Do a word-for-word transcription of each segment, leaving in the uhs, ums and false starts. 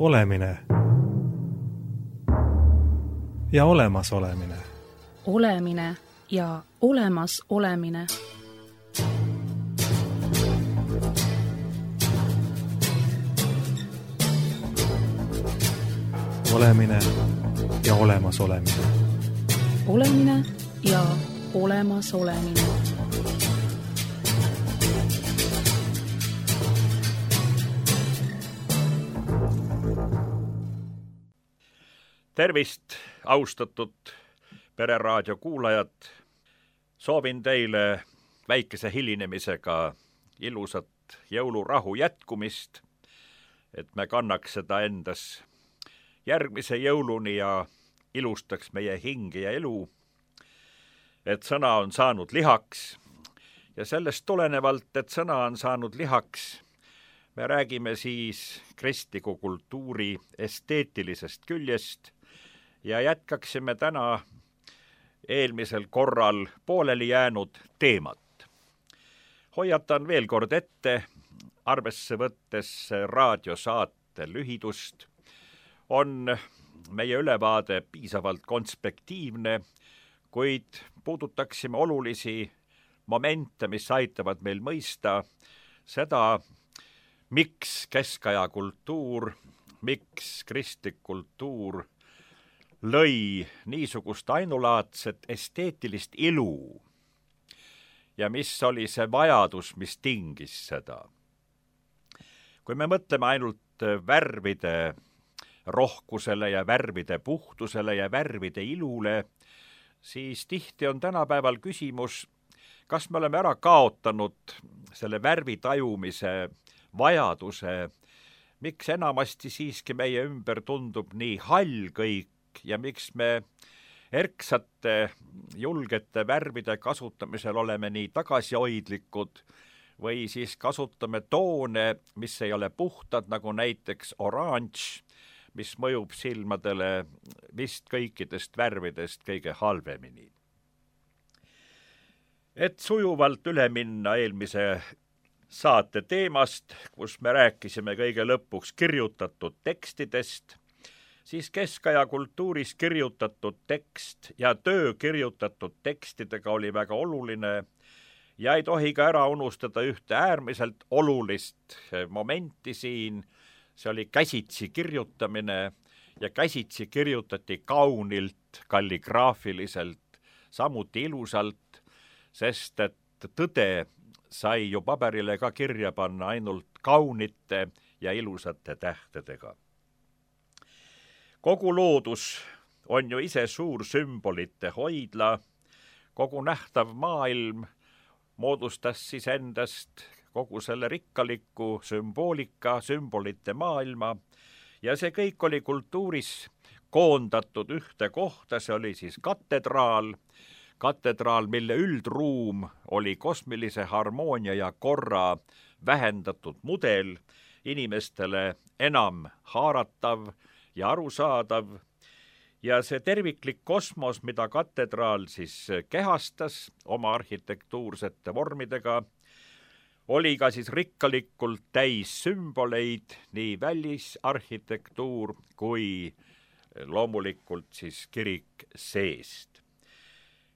Olemine ja olemas olemine. Olemine ja olemas olemine. Olemine ja olemas olemine. Olemine ja olemas olemine. Tervist, austatud Pereraadio kuulajad! Soovin teile väikese hilinemisega ilusat jõulurahu jätkumist, et me kannaks seda endas järgmise jõuluni ja ilustaks meie hingi ja elu, et sõna on saanud lihaks ja sellest tulenevalt, et sõna on saanud lihaks, me räägime siis kristliku kultuuri esteetilisest küljest ja jätkaksime täna eelmisel korral pooleli jäänud teemat. Hoiatan veel kord ette, arvesse võttes raadiosaate lühidust, on meie ülevaade piisavalt konspektiivne, kuid puudutaksime olulisi momente, mis aitavad meil mõista seda, miks keskaja kultuur, miks kristlik kultuur lõi niisugust ainulaadset esteetilist ilu ja mis oli see vajadus, mis tingis seda. Kui me mõtleme ainult värvide rohkusele ja värvide puhtusele ja värvide ilule, siis tihti on tänapäeval küsimus, kas me oleme ära kaotanud selle värvi tajumise vajaduse, miks enamasti siiski meie ümber tundub nii hall kõik ja miks me erksate, julgete värvide kasutamisel oleme nii tagasihoidlikud või siis kasutame toone, mis ei ole puhtad, nagu näiteks oranž, mis mõjub silmadele vist kõikidest värvidest kõige halvemini. Et sujuvalt üle minna eelmise saate teemast, kus me rääkisime kõige lõpuks kirjutatud tekstidest, siis keskaja kultuuris kirjutatud tekst ja töö kirjutatud tekstidega oli väga oluline ja ei tohi ka ära unustada ühte äärmiselt olulist momenti siin. See oli käsitsi kirjutamine ja käsitsi kirjutati kaunilt, kalligraafiliselt, samuti ilusalt, sest et tõde sai ju paberile ka kirja panna ainult kaunite ja ilusate tähtedega. Kogu loodus on ju ise suur sümbolite hoidla, kogu nähtav maailm moodustas siis endast kogu selle rikkaliku sümboolika, sümbolite maailma ja see kõik oli kultuuris koondatud ühte kohta, see oli siis katedraal, katedraal, mille üldruum oli kosmilise harmoonia ja korra vähendatud mudel, inimestele enam haaratav ja arusaadav ja see terviklik kosmos, mida katedraal siis kehastas oma arhitektuursete vormidega, oli ka siis rikkalikult täis sümboleid, nii välisarhitektuur kui loomulikult siis kirik seest.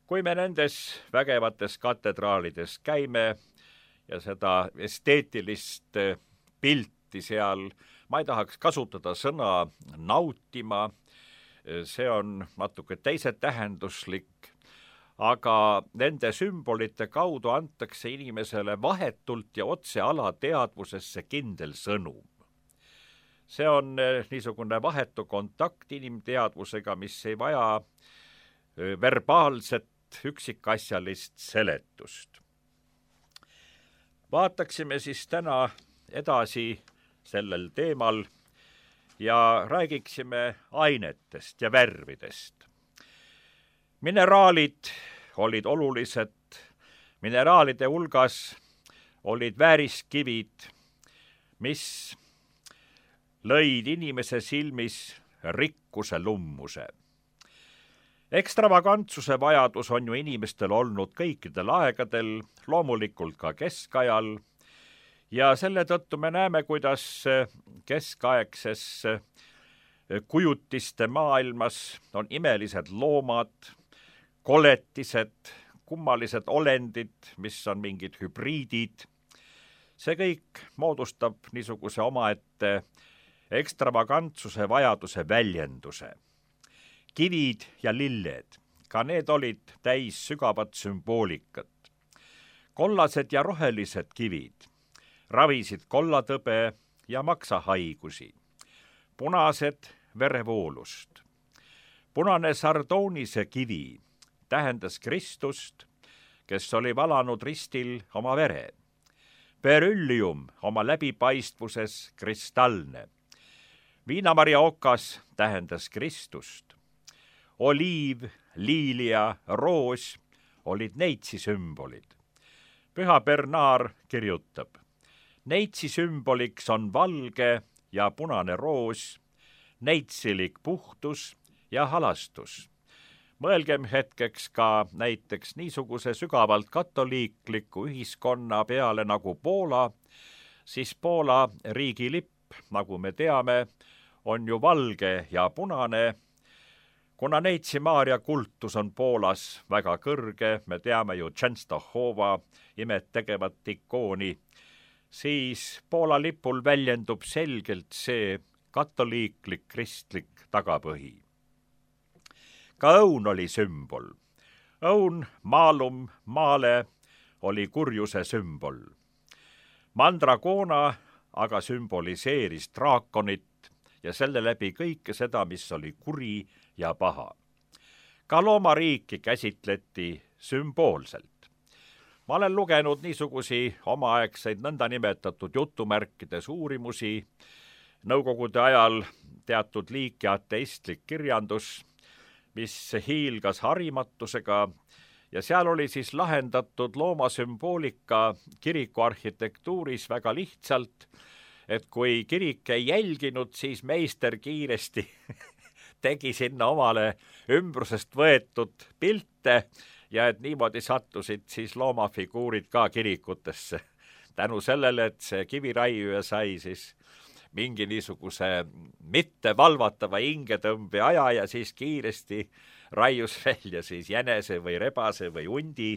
Kui me nendes vägevates katedraalides käime ja seda esteetilist pilti seal, ma ei tahaks kasutada sõna nautima, see on natuke teise tähenduslik, aga nende sümbolite kaudu antakse inimesele vahetult ja otse alateadvusesse kindel sõnum. See on niisugune vahetu kontakt inimteadvusega, mis ei vaja verbaalset üksikasjalist seletust. Vaataksime siis täna edasi sellel teemal ja räägiksime ainetest ja värvidest. Mineraalid olid olulised, mineraalide hulgas olid vääriskivid, mis lõid inimese silmis rikkuse lummuse. Ekstravagantsuse vajadus on ju inimestel olnud kõikidel aegadel, loomulikult ka keskajal, ja selle tõttu me näeme, kuidas keskaegses kujutiste maailmas on imelised loomad, koletised, kummalised olendid, mis on mingid hübriidid. See kõik moodustab niisuguse omaette ekstravagantsuse vajaduse väljenduse. Kivid ja lilled, ka need olid täis sügavat sümboolikat. Kollased ja rohelised kivid ravisid kollatõbe ja maksahaigusi. Punased verevoolust. Punane sardoonise kivi tähendas Kristust, kes oli valanud ristil oma vere. Beryllium oma läbipaistvuses kristallne. Viinamarja okas tähendas Kristust. Oliiv, liilia, roos olid neitsi sümbolid. Püha Bernard kirjutab, neitsi sümboliks on valge ja punane roos, neitsilik puhtus ja halastus. Mõelgem hetkeks ka näiteks niisuguse sügavalt katoliikliku ühiskonna peale nagu Poola, siis Poola riigilipp, nagu me teame, on ju valge ja punane. Kuna neitsi Maarja kultus on Poolas väga kõrge, me teame ju Częstochowa imet tegevat ikooni, siis Poola lipul väljendub selgelt see katoliiklik kristlik tagapõhi. Ka õun oli sümbol. Õun, maalum, maale oli kurjuse sümbol. Mandragoona aga sümboliseeris draakonit ja selle läbi kõike seda, mis oli kuri ja paha. Ka loomariiki käsitleti sümboolselt. Ma olen lugenud niisugusi omaaegseid nõndanimetatud jutumärkides uurimusi, nõukogude ajal teatud liiki ateistlik kirjandus, mis hiilgas harimatusega ja seal oli siis lahendatud loomasümboolika kiriku arhitektuuris väga lihtsalt, et kui kirik ei jälginud, siis meister kiiresti tegi sinna omale ümbrusest võetud pilte ja et niimoodi sattusid siis loomafiguurid ka kirikutesse. Tänu sellele, et see kiviraiuja sai siis mingi niisuguse mitte valvatava hingetõmbe aja ja siis kiiresti raius välja siis jänese või rebase või hundi.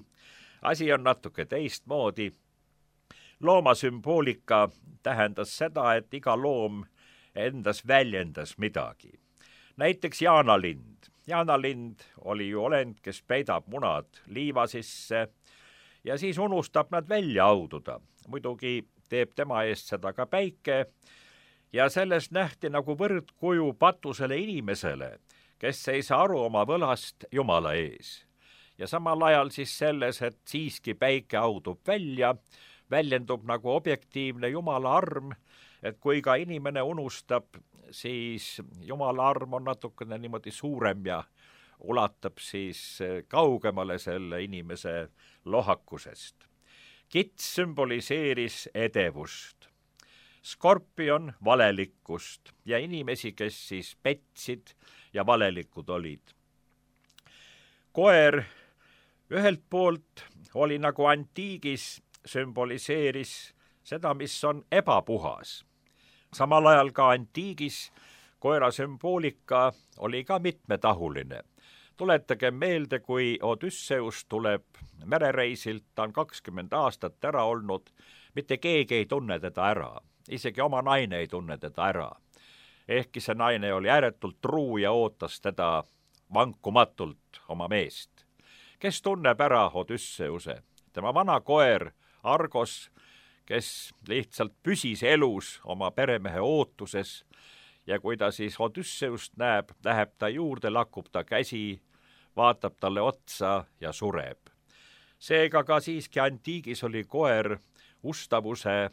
Asi on natuke teistmoodi. Loomasümboolika tähendas seda, et iga loom endas väljendas midagi. Näiteks jaanalind. Jaanalind oli ju olend, kes peidab munad liiva sisse ja siis unustab nad välja aududa. Muidugi teeb tema eest seda ka päike ja sellest nähti nagu võrdkuju patusele inimesele, kes ei saa aru oma võlast Jumala ees. Ja samal ajal siis selles, et siiski päike audub välja, väljendub nagu objektiivne Jumala arm, et kui ka inimene unustab, siis Jumala arm on natukene niimoodi suurem ja ulatab siis kaugemale selle inimese lohakusest. Kits sümboliseeris edevust, skorpion valelikkust ja inimesi, kes siis petsid ja valelikud olid. Koer ühelt poolt oli nagu antiigis, sümboliseeris seda, mis on ebapuhas. Samal ajal ka antiigis koera sümboolika oli ka mitmetahuline. Tuletage meelde, kui Odysseus tuleb merereisilt, ta on kakskümmend aastat ära olnud, mitte keegi ei tunne teda ära, isegi oma naine ei tunne teda ära. Ehkki see naine oli ääretult truu ja ootas teda vankumatult oma meest. Kes tunneb ära Odysseuse? Tema vana koer Argos, kes lihtsalt püsis elus oma peremehe ootuses ja kui ta siis Odysseust näeb, läheb ta juurde, lakub ta käsi, vaatab talle otsa ja sureb. Seega ka siiski antiigis oli koer ustavuse,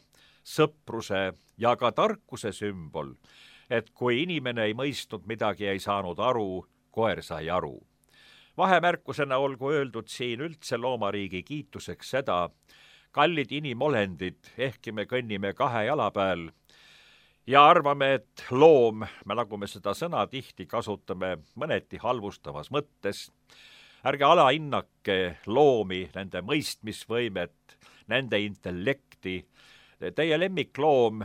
sõpruse ja ka tarkuse sümbol, et kui inimene ei mõistnud midagi, ei saanud aru, koer sai aru. Vahemärkusena olgu öeldud siin üldse loomariigi kiituseks seda, kallid inimolendid, ehkki me kõnnime kahe jala peal ja arvame, et loom, nagu me seda sõna tihti kasutame mõneti halvustavas mõttes, ärge alahinnake loomi, nende mõistmisvõimet, nende intellekti. Teie lemmikloom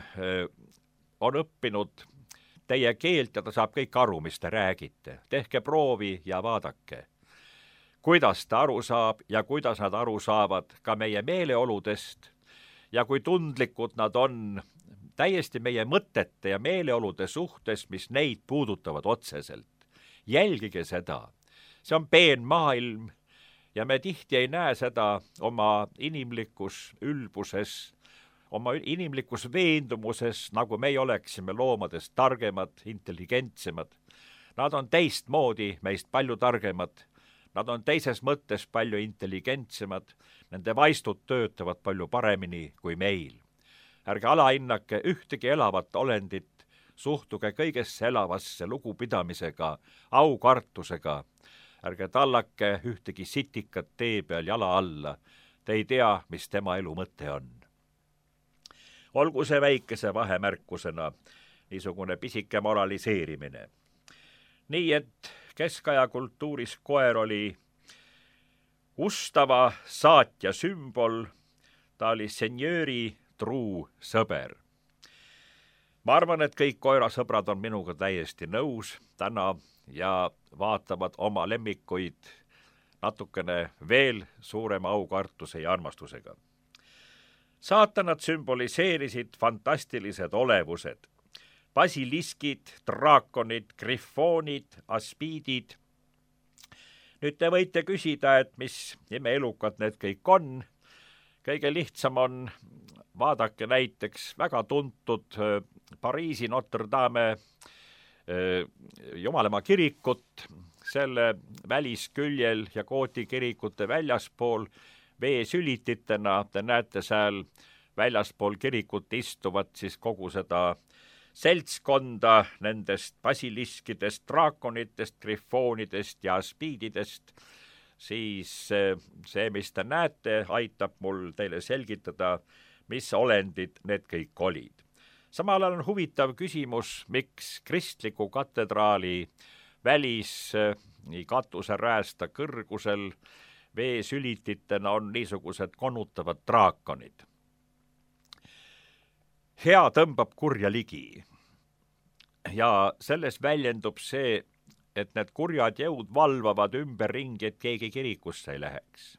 on õppinud teie keelt ja ta saab kõik aru, mis te räägite. Tehke proovi ja vaadake, kuidas ta aru saab ja kuidas nad aru saavad ka meie meeleoludest ja kui tundlikud nad on täiesti meie mõtete ja meeleolude suhtes, mis neid puudutavad otseselt. Jälgige seda. See on peen maailm ja me tihti ei näe seda oma inimlikus ülbuses, oma inimlikus veendumuses, nagu meie oleksime loomadest targemad, intelligentsemad. Nad on teistmoodi meist palju targemad, nad on teises mõttes palju intelligentsemad, nende vaistud töötavad palju paremini kui meil. Ärge alahinnake ühtegi elavat olendit, suhtuge kõigesse elavasse lugupidamisega, aukartusega. Ärge tallake ühtegi sitikat tee peal jala alla, te ei tea, mis tema elu mõte on. Olgu see väikese vahemärkusena niisugune pisike moraliseerimine. Nii et keskaja kultuuris koer oli ustava saatja sümbol, ta oli senjööri truu sõber. Ma arvan, et kõik koerasõbrad on minuga täiesti nõus täna ja vaatavad oma lemmikuid natukene veel suurema aukartuse ja armastusega. Saatanad sümboliseerisid fantastilised olevused. Basiliskid, draakonid, grifoonid, aspiidid. Nüüd te võite küsida, et mis imeelukad need kõik on. Kõige lihtsam on, vaadake näiteks väga tuntud Pariisi Notre Dame Jumalamaa kirikut, selle välisküljel ja Kooti kirikute väljaspool veesülititena, te näete seal väljaspool kirikut istuvad siis kogu seda seltskonda nendest basiliskidest, draakonitest, grifoonidest ja aspiididest, siis see, mis te näete, aitab mul teile selgitada, mis olendid need kõik olid. Samal ajal on huvitav küsimus, miks kristliku katedraali välis nii katuseräästa kõrgusel veesülititena on niisugused konutavad draakonid. Hea tõmbab kurja ligi ja selles väljendub see, et need kurjad jõud valvavad ümberringi, et keegi kirikusse ei läheks.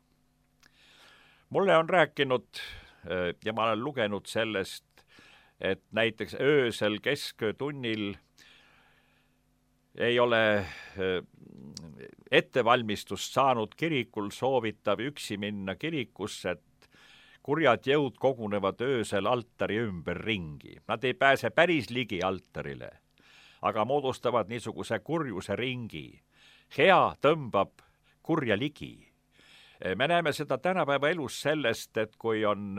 Mulle on rääkinud ja ma olen lugenud sellest, et näiteks öösel kesköötunnil ei ole ettevalmistust saanud kirikul soovitav üksi minna kirikusse, et kurjad jõud kogunevad öösel altari ümber ringi. Nad ei pääse päris ligi altarile, aga moodustavad niisuguse kurjuse ringi. Hea tõmbab kurja ligi. Me näeme seda tänapäeva elus sellest, et kui on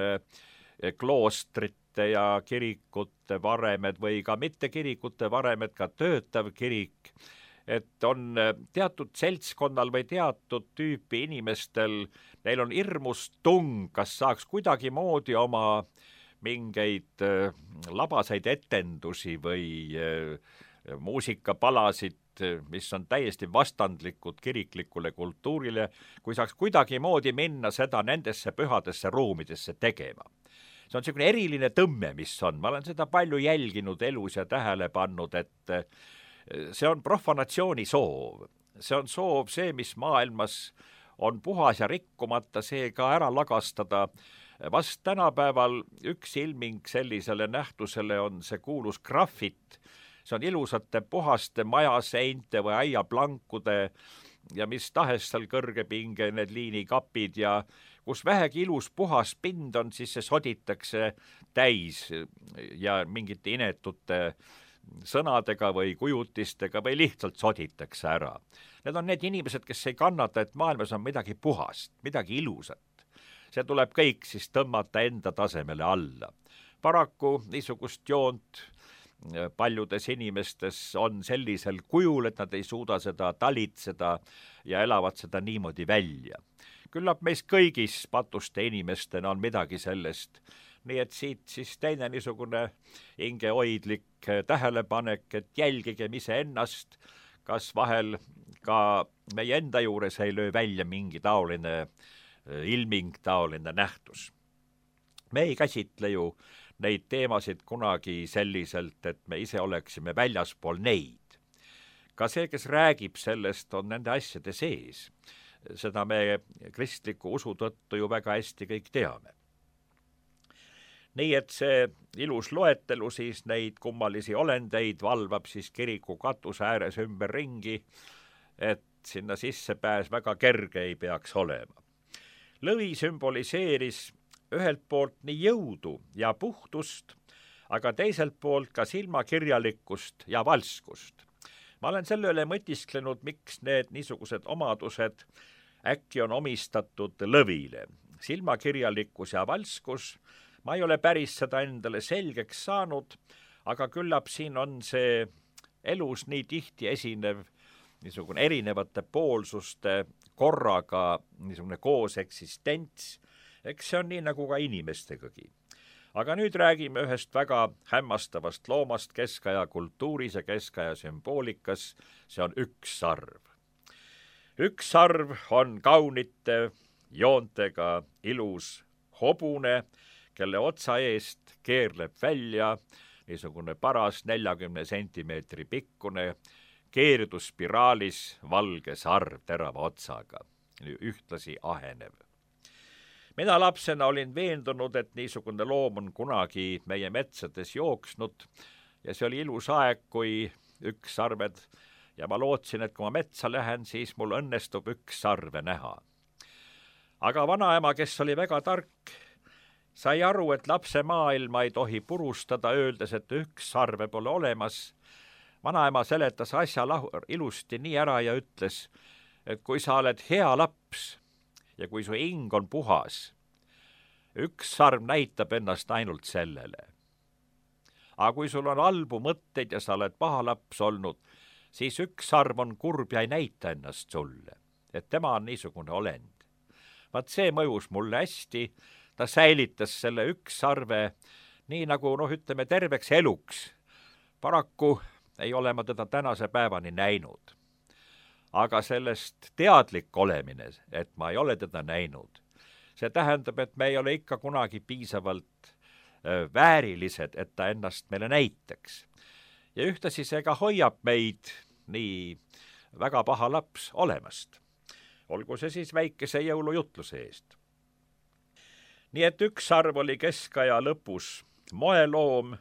kloostrite ja kirikute varemed või ka mitte kirikute varemed, ka töötav kirik, et on teatud seltskonnal või teatud tüüpi inimestel, neil on hirmus tung, kas saaks kuidagi moodi oma mingeid labaseid etendusi või muusikapalasid, mis on täiesti vastandlikud kiriklikule kultuurile, kui saaks kuidagi moodi minna seda nendesse pühadesse ruumidesse tegema. See on selline eriline tõmme, mis on. Ma olen seda palju jälginud elus ja tähele pannud, et see on profanatsiooni soov. See on soov see, mis maailmas on puhas ja rikkumata, see ka ära lagastada. Vast tänapäeval üks ilming sellisele nähtusele on see kuulus graffit. See on ilusate puhaste majaseinte või aiaplankude ja mis tahes seal kõrgepinge need liinikapid ja kus vähegi ilus puhas pind on, siis see soditakse täis ja mingite inetute sõnadega või kujutistega või lihtsalt soditakse ära. Need on need inimesed, kes ei kannata, et maailmas on midagi puhast, midagi ilusat. See tuleb kõik siis tõmmata enda tasemele alla. Paraku niisugust joont paljudes inimestes on sellisel kujul, et nad ei suuda seda talitseda ja elavad seda niimoodi välja. Küllap meis kõigis patuste inimestena on midagi sellest. Nii et siit siis teine niisugune hingehoidlik tähelepanek, et jälgigem ise ennast, kas vahel ka meie enda juures ei löö välja mingi taoline ilming, taoline nähtus. Me ei käsitle ju neid teemasid kunagi selliselt, et me ise oleksime väljaspool neid. Ka see, kes räägib sellest, on nende asjade sees. Seda me kristliku usu tõttu ju väga hästi kõik teame. Nii et see ilus loetelu siis neid kummalisi olendeid valvab siis kiriku katuse ääres ümber ringi, et sinna sissepääs väga kerge ei peaks olema. Lõvi sümboliseeris ühelt poolt nii jõudu ja puhtust, aga teiselt poolt ka silmakirjalikkust ja valskust. Ma olen selle üle mõtisklenud, miks need niisugused omadused äkki on omistatud lõvile. Silmakirjalikkus ja valskus, ma ei ole päris seda endale selgeks saanud, aga küllap siin on see elus nii tihti esinev niisugune erinevate poolsuste korraga niisugune koos eksistents, eks see on nii nagu ka inimestegagi. Aga nüüd räägime ühest väga hämmastavast loomast keskaja kultuuris ja keskaja sümboolikas, see on üks sarv. Üks sarv on kaunite joontega ilus hobune, kelle otsa eest keerleb välja niisugune paras neljakümne sentimeetri pikkune keerduspiraalis valge sarv terava otsaga, ühtlasi ahenev. Mina lapsena olin veendunud, et niisugune loom on kunagi meie metsades jooksnud ja see oli ilus aeg, kui üks sarved ja ma lootsin, et kui ma metsa lähen, siis mul õnnestub üks sarve näha. Aga vanaema, kes oli väga tark, sai aru, et lapse maailma ei tohi purustada, öeldes, et üks sarve pole olemas. Vanaema seletas asja ilusti nii ära ja ütles, et kui sa oled hea laps ja kui su hing on puhas, üks sarv näitab ennast ainult sellele. Aga kui sul on halbu mõtteid ja sa oled paha laps olnud, siis üks sarv on kurb ja ei näita ennast sulle, et tema on niisugune olend. Vaat see mõjus mulle hästi, ta säilitas selle üks sarve nii nagu, noh, ütleme terveks eluks. Paraku ei ole ma teda tänase päevani näinud. Aga sellest teadlik olemine, et ma ei ole teda näinud, see tähendab, et me ei ole ikka kunagi piisavalt väärilised, et ta ennast meile näitaks. Ja ühtasi see ka hoiab meid nii väga paha laps olemast. Olgu see siis väikese jõulujutluse eest. Nii et üks sarv oli keskaja lõpus moeloom,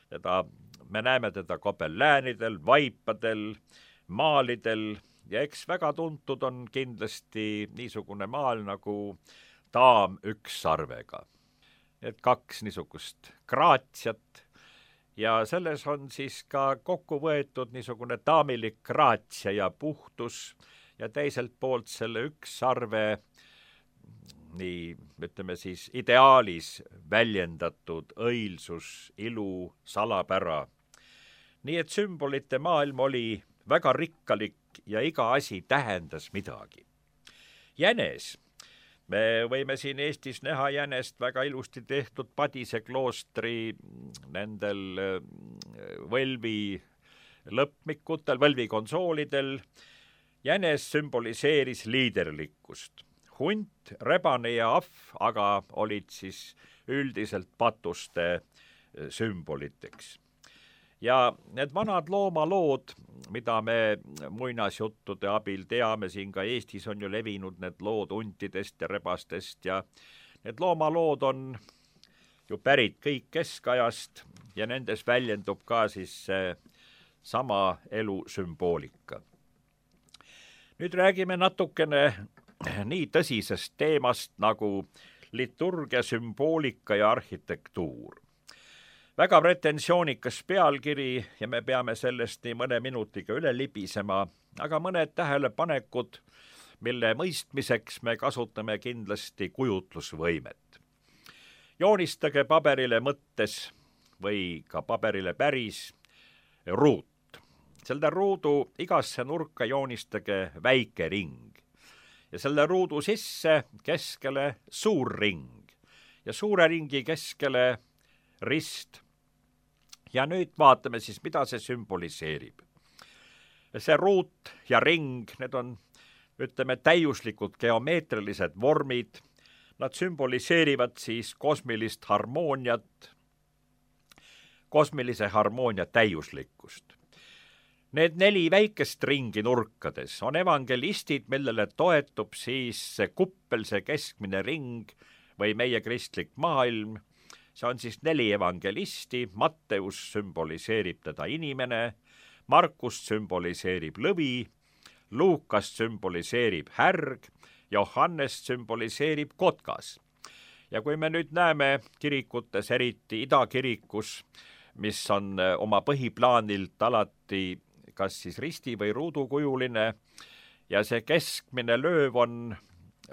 teda, me näeme teda kopelläänidel, vaipadel, maalidel, ja eks väga tuntud on kindlasti niisugune maal nagu daam üks sarvega. Need kaks niisugust graatsiat ja selles on siis ka kokku võetud niisugune daamilik graatsia ja puhtus ja teiselt poolt selle üks sarve nii, ütleme siis, ideaalis väljendatud õilsus, ilu, salapära. Nii et sümbolite maailm oli väga rikkalik ja iga asi tähendas midagi. Jänes. Me võime siin Eestis näha jänest väga ilusti tehtud Padise kloostri nendel võlvi lõpmikutel, võlvikonsoolidel. Jänes sümboliseeris liiderlikkust. Hunt, rebane ja ahv aga olid siis üldiselt patuste sümboliteks. Ja need vanad loomalood, mida me muinasjuttude abil teame, siin ka Eestis on ju levinud need lood huntidest ja rebastest ja need loomalood on ju pärit kõik keskajast ja nendes väljendub ka siis sama elu sümboolika. Nüüd räägime natukene nii tõsisest teemast nagu liturgia, sümboolika ja arhitektuur. Väga pretensioonikas pealkiri ja me peame sellest nii mõne minutiga üle libisema, aga mõned tähelepanekud, mille mõistmiseks me kasutame kindlasti kujutlusvõimet. Joonistage paberile mõttes või ka paberile päris ruut. Selle ruudu igasse nurka joonistage väike ring ja selle ruudu sisse keskele suur ring ja suure ringi keskele rist. Ja nüüd vaatame siis, mida see sümboliseerib. See ruut ja ring, need on, ütleme, täiuslikud geomeetrilised vormid. Nad sümboliseerivad siis kosmilist harmooniat, kosmilise harmoonia täiuslikkust. Need neli väikest ringi nurkades on evangelistid, millele toetub siis see kuppel, see keskmine ring või meie kristlik maailm. See on siis neli evangelisti, Matteus sümboliseerib teda inimene, Markus sümboliseerib lõvi, Luukas sümboliseerib härg, Johannes sümboliseerib kotkas. Ja kui me nüüd näeme kirikutes, eriti idakirikus, mis on oma põhiplaanilt alati kas siis risti või ruudukujuline ja see keskmine lööv on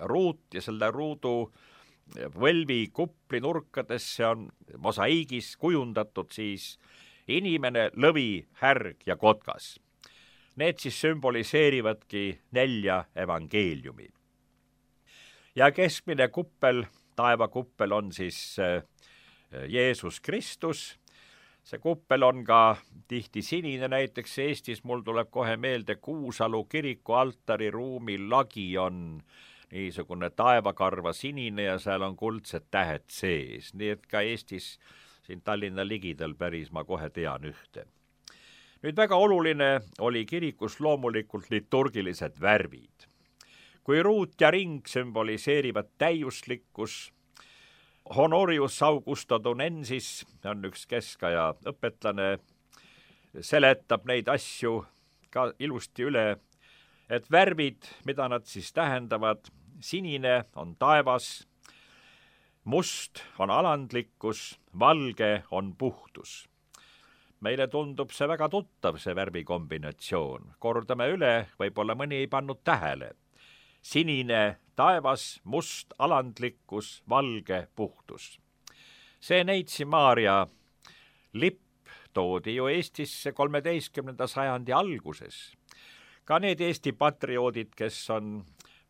ruut ja selle ruudu võlvi kupli nurkadesse on mosaiigis kujundatud siis inimene, lõvi, härg ja kotkas. Need siis sümboliseerivadki nelja evangeeliumi. Ja keskmine kuppel, taevakuppel on siis Jeesus Kristus. See kuppel on ka tihti sinine, näiteks Eestis mul tuleb kohe meelde Kuusalu kiriku altariruumi lagi on niisugune taevakarva sinine ja seal on kuldsed tähed sees, nii et ka Eestis siin Tallinna ligidal päris ma kohe tean ühte. Nüüd väga oluline oli kirikus loomulikult liturgilised värvid. Kui ruut ja ring sümboliseerivad täiuslikkus, Honorius Augustodonensis on üks keskaja õpetlane, seletab neid asju ka ilusti üle, et värvid, mida nad siis tähendavad, sinine on taevas, must on alandlikkus, valge on puhtus. Meile tundub see väga tuttav, see värvikombinatsioon. Kordame üle, võib-olla mõni ei pannud tähele. Sinine taevas, must alandlikkus, valge puhtus. See Neitsi Maarja lipp toodi ju Eestisse kolmeteistkümnenda sajandi alguses. Ka need Eesti patrioodid, kes on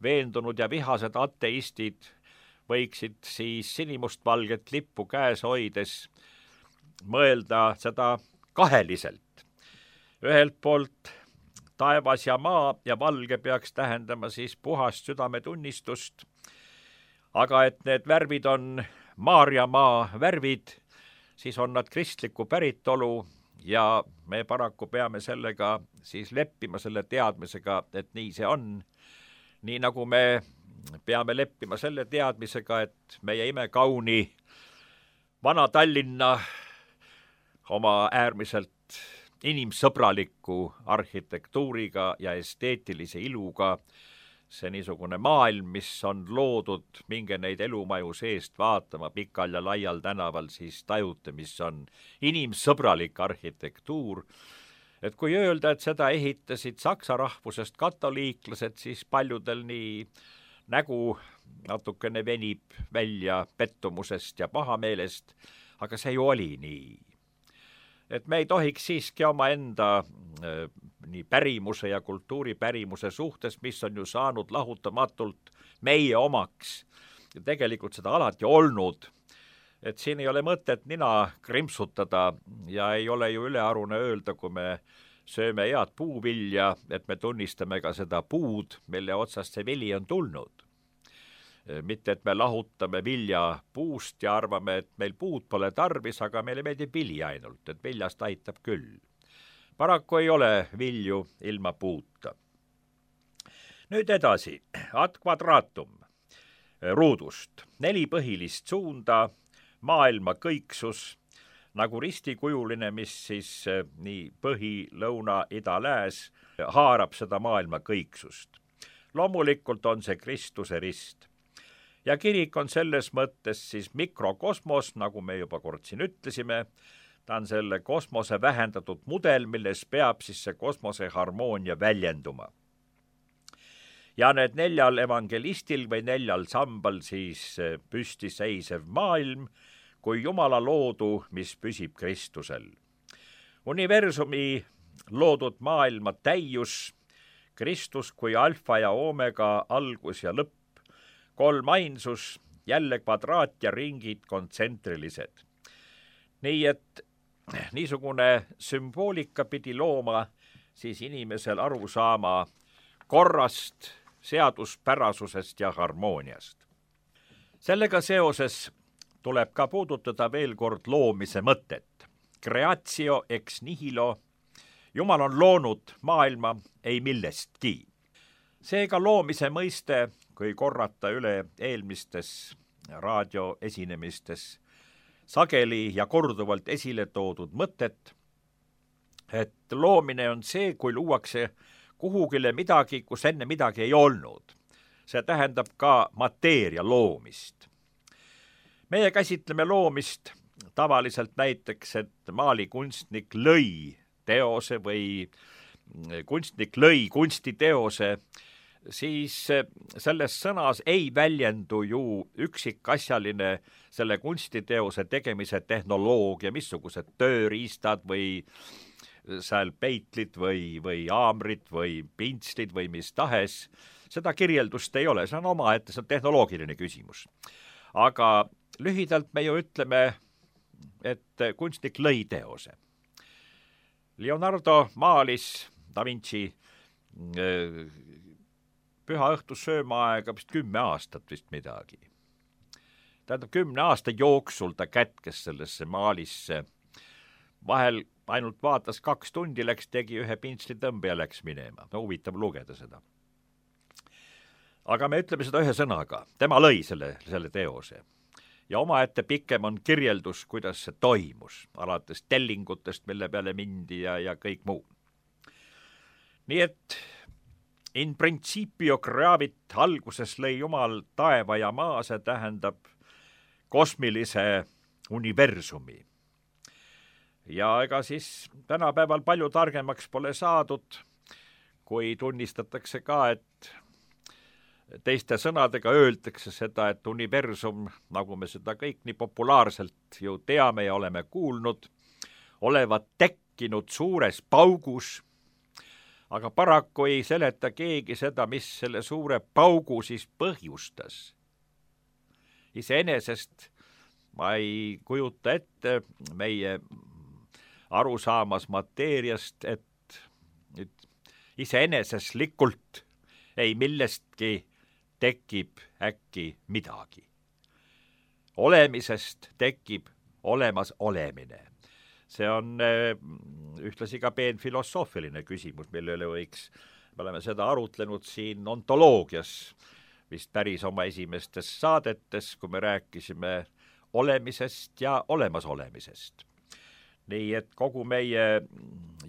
veendunud ja vihased ateistid, võiksid siis sinimustvalget lippu käes hoides mõelda seda kaheliselt. Ühelt poolt taevas ja maa ja valge peaks tähendama siis puhast südametunnistust, aga et need värvid on Maarjamaa värvid, siis on nad kristliku päritolu ja me paraku peame sellega siis leppima selle teadmisega, et nii see on. Nii nagu me peame leppima selle teadmisega, et meie imekauni vana Tallinna oma äärmiselt inimsõbraliku arhitektuuriga ja esteetilise iluga, see niisugune maailm, mis on loodud, minge neid elumaju seest vaatama pikal ja laial tänaval, siis tajute, mis on inimsõbralik arhitektuur. Et kui öelda, et seda ehitasid saksa rahvusest katoliiklased, siis paljudel nii nägu natukene venib välja pettumusest ja pahameelest, aga see ju oli nii. Et me ei tohiks siiski oma enda äh, nii pärimuse ja kultuuripärimuse suhtes, mis on ju saanud lahutamatult meie omaks ja tegelikult seda alati olnud, et siin ei ole mõtet nina krimpsutada ja ei ole ju ülearune öelda, kui me sööme head puuvilja, et me tunnistame ka seda puud, mille otsast see vili on tulnud. Mitte, et me lahutame vilja puust ja arvame, et meil puud pole tarvis, aga meile meeldib vili ainult, et viljast aitab küll. Paraku ei ole vilju ilma puuta. Nüüd edasi, ad quadratum ruudust. Neli põhilist suunda, maailma kõiksus, nagu ristikujuline, mis siis nii põhi, lõuna, ida, lääs haarab seda maailma kõiksust. Loomulikult on see Kristuse rist. Ja kirik on selles mõttes siis mikrokosmos, nagu me juba kord siin ütlesime, ta on selle kosmose vähendatud mudel, milles peab siis see kosmose harmoonia väljenduma. Ja need neljal evangelistil või neljal sambal siis püsti seisev maailm, kui Jumala loodu, mis püsib Kristusel. Universumi loodud maailma täius, Kristus kui alfa ja omega algus ja lõpp, kolm ainsus, jälle kvadraat ja ringid kontsentrilised. Nii et niisugune sümboolika pidi looma siis inimesel aru saama korrast, seaduspärasusest ja harmooniast. Sellega seoses tuleb ka puudutada veel kord loomise mõtet. creatio ex nihilo, Jumal on loonud maailma ei millestki. Seega loomise mõiste, kui korrata üle eelmistes raadioesinemistes sageli ja korduvalt esile toodud mõtet, et loomine on see, kui luuakse kuhugile midagi, kus enne midagi ei olnud. See tähendab ka mateeria loomist. Meie käsitleme loomist tavaliselt näiteks, et maalikunstnik lõi teose või kunstnik lõi kunstiteose, siis selles sõnas ei väljendu ju üksikasjaline selle kunstiteose tegemise tehnoloogia, missugused tööriistad või seal peitlid või, või haamrid või pintslid või mis tahes. Seda kirjeldust ei ole, see on omaette, see on tehnoloogiline küsimus. Aga lühidalt me ju ütleme, et kunstnik lõi teose. Leonardo maalis Da Vinci püha õhtu söömaaega vist kümme aastat vist midagi. Tähendab, kümne aasta jooksul ta kätkes sellesse maalisse. Vahel ainult vaatas kaks tundi, läks, tegi ühe pintsli tõmbe ja läks minema. No huvitav lugeda seda. Aga me ütleme seda ühe sõnaga. Tema lõi selle, selle teose. Ja omaette pikem on kirjeldus, kuidas see toimus, alates tellingutest, mille peale mindi ja, ja kõik muu. Nii et in principio creavit alguses lõi Jumal taeva ja maa, see tähendab kosmilise universumi. Ja ega siis tänapäeval palju targemaks pole saadud, kui tunnistatakse ka, et teiste sõnadega öeldakse seda, et universum, nagu me seda kõik nii populaarselt ju teame ja oleme kuulnud, olevat tekkinud suures paugus, aga paraku ei seleta keegi seda, mis selle suure paugu siis põhjustas. Iseenesest ma ei kujuta ette meie arusaamas mateeriast, et iseeneseslikult ei millestki tekib äkki midagi. Olemisest tekib olemas olemine. See on ühtlasi ka peen filosoofiline küsimus, millele võiks, me oleme seda arutlenud siin ontoloogias, vist päris oma esimestes saadetes, kui me rääkisime olemisest ja olemasolemisest. Nii et kogu meie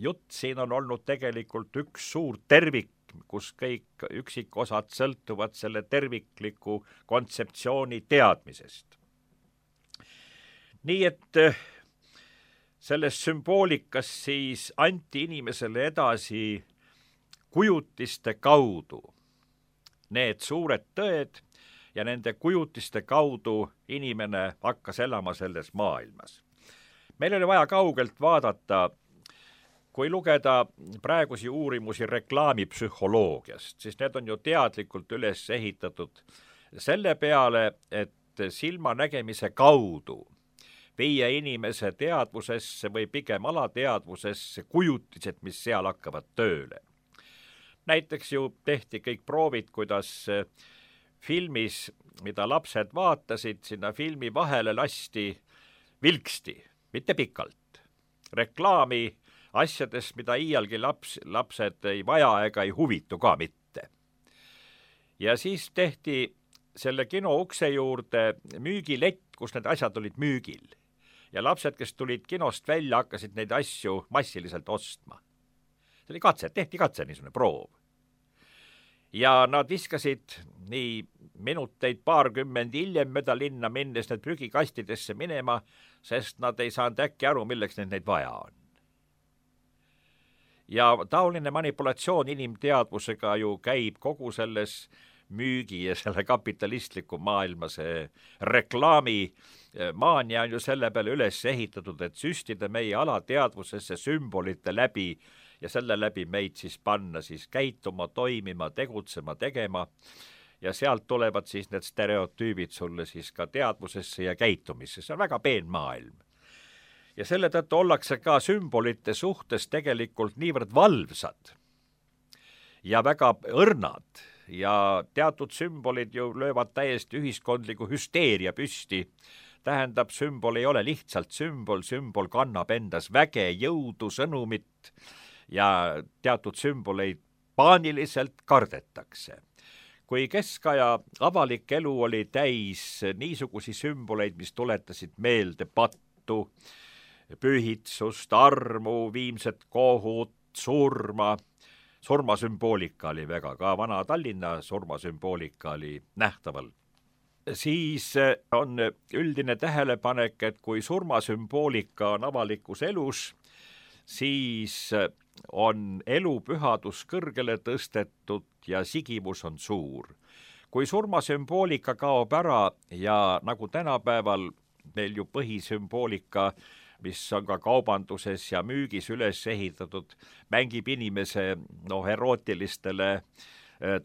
jutt siin on olnud tegelikult üks suur tervik, kus kõik üksikosad sõltuvad selle tervikliku kontseptsiooni teadmisest. Nii et selles sümboolikas siis anti inimesele edasi kujutiste kaudu need suured tõed ja nende kujutiste kaudu inimene hakkas elama selles maailmas. Meil oli vaja kaugelt vaadata, kui lugeda praegusi uurimusi reklaamipsühholoogiast, siis need on ju teadlikult üles ehitatud selle peale, et silmanägemise kaudu viia inimese teadvusesse või pigem alateadvusesse kujutised, mis seal hakkavad tööle. Näiteks ju tehti kõik proovid, kuidas filmis, mida lapsed vaatasid, sinna filmi vahele lasti vilksti, mitte pikalt. Reklaami asjadest, mida iialgi laps, lapsed ei vaja ega ei huvitu ka mitte. Ja siis tehti selle kino ukse juurde müügilett, kus need asjad olid müügil. Ja lapsed, kes tulid kinost välja, hakkasid neid asju massiliselt ostma. See oli katse, tehti katse, niisugune proov. Ja nad viskasid nii minuteid paarkümmend hiljem mööda linna minnes need prügikastidesse minema, sest nad ei saanud äkki aru, milleks neid, neid vaja on. Ja taoline manipulatsioon inimteadvusega ju käib kogu selles müügi ja selle kapitalistliku maailma, see reklaami maania on ju selle peale üles ehitatud, et süstida meie alateadvusesse sümbolite läbi ja selle läbi meid siis panna siis käituma, toimima, tegutsema, tegema ja sealt tulevad siis need stereotüübid sulle siis ka teadvusesse ja käitumisse. See on väga peen maailm. Ja selle tõttu ollakse ka sümbolite suhtes tegelikult niivõrd valvsad ja väga õrnad ja teatud sümbolid ju löövad täiesti ühiskondliku hüsteeria püsti tähendab, sümbol ei ole lihtsalt sümbol, sümbol kannab endas väge, jõudu, sõnumit ja teatud sümboleid paaniliselt kardetakse. Kui keskaja avalik elu oli täis niisugusi sümboleid, mis tuletasid meelde pattu, pühitsust, armu, viimset kohut, surma, surmasümboolika oli väga, ka vana Tallinna surmasümboolika oli nähtaval. Siis on üldine tähelepanek, et kui surmasümboolika on avalikus elus, siis on elu pühadus kõrgele tõstetud ja sigivus on suur. Kui surmasümboolika kaob ära ja nagu tänapäeval meil ju põhisümboolika, mis on ka kaubanduses ja müügis üles ehitatud, mängib inimese no, erootilistele